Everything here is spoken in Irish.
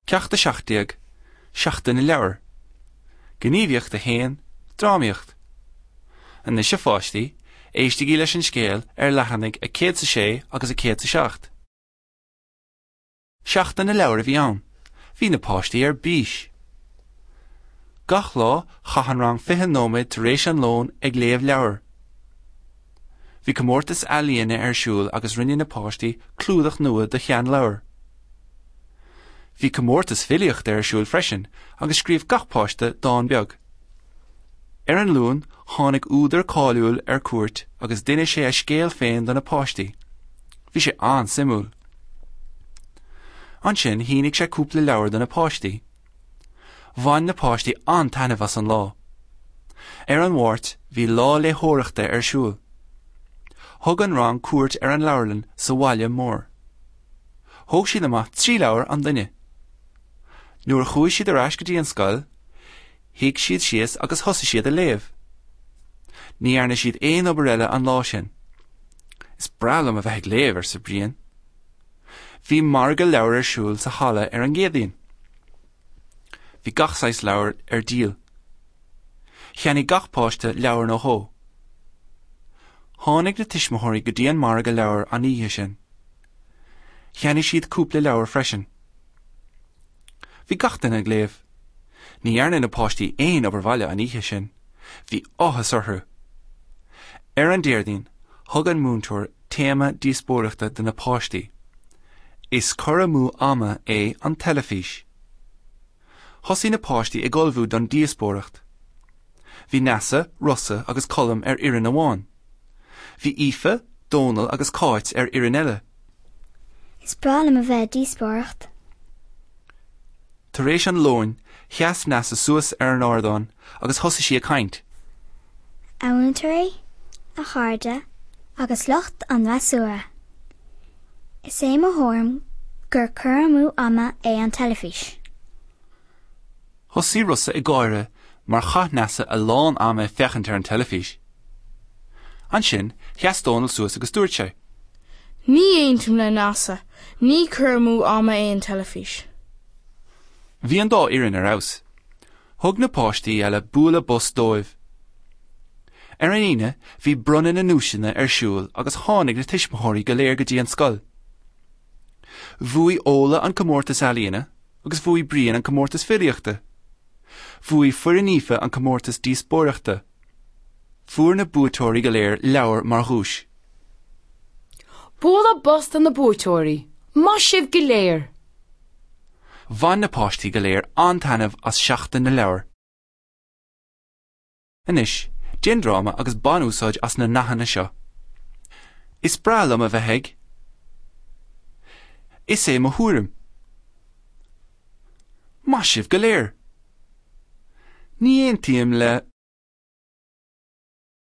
Ceacht 17, Seachtain na Leabhar. Gníomhaíocht 1, Drámaíocht. Anois a pháistí, éistigí leis an scéal ar leathanaigh 106 agus 107. Seachtain na Leabhar a bhí ann. Bhí na páistí ar bís. Gach lá, chaith an rang 20 nóiméad tar éis an lóin ag léamh leabhar. Bhí comórtas ealaíne ar siúl agus rinne na páistí clúdach nua do sheanleabhar. Bhí comórtas filíochta ar siúl freisin agus scríobh gach páiste dán beag. Ar an Luan tháinig údar cáiliúil ar cuairt agus d'inis sé a scéal féin do na páistí. Bhí sé an-suimiúil. Ansin shínigh sé cúpla leabhar do na páistí. Bhain na páistí an-taitneamh as an lá. Ar an Mháirt bhí lá léitheoireachta ar siúl. Thug an rang cuairt ar an leabharlann sa bhaile mór. Thóg siad amach 3 leabhar an duine. Nuair a chuaigh siad ar ais go dtí an scoil, shuigh siad síos agus thosaigh siad a léamh. Ní dhearna siad aon obair eile an lá sin. Is breá liom a bheith ag léamh, arsa Brian. Bhí margadh leabhar ar siúl sa halla ar an gCéadaoin. Bhí gach saghas leabhar ar díol. Cheannaigh gach páiste leabhar nó dhó. Tháinig na tuismitheoirí go dtí an margadh leabhar an oíche sin. Cheannaigh siad cúpla leabhar freisin. Bhí gach duine ag léamh. Ní dhearna na páistí aon obair bhaile an oíche sin. Bhí áthas orthu. Ar an Déardaoin, thug an múinteoir téama díospóireachta do na páistí. Is cur amú ama é an teilifís. Thosaigh na páistí ag ullmhú don díospóireacht. Bhí Neasa, Rossa agus Colm ar fhoireann amháin. Bhí Aoife, Dónal agus Cáit ar fhoireann eile. Is breá liom a bheith ag díospóireacht. Tar éis an lóin, sheas Neasa suas ar an ardán agus thosaigh sí ag caint. A mhúinteoirí, a chairde agus lucht an fhreasúra. Is é mo thuairim gur cur amú ama é an teilifís. Thosaigh Rossa ag gáire mar chaith Neasa a lán ama ag féachaint ar an teilifís. Ansin, sheas Dónal suas agus dúirt sé. Ní aontaím le Neasa, ní cur amú ama é an teilifís. Bhí an dá fhoireann ar fheabhas. Thug na páistí eile bualadh bos dóibh. Ar an Aoine, bhí bronnadh na nduaiseanna ar siúl agus tháinig na tuismitheoirí go léir go dtí an scoil. Bhuaigh Ola an comórtas ealaíne agus bhuaigh Brian an comórtas filíochta. Bhuaigh foireann Aoife an comórtas díospóireachta. Fuair na buaiteoirí go léir leabhar mar dhuais. Bualadh bos do na buaiteoirí! Maith sibh go léir! Bhain na páistí go léir an-taitneamh as Seachtain na Leabhar. Anois, déan dráma agus bain úsáid as na nathanna seo. Is breá liom a bheith ag. Is é mo thuairim. Maith sibh go léir! Ní aontaím le.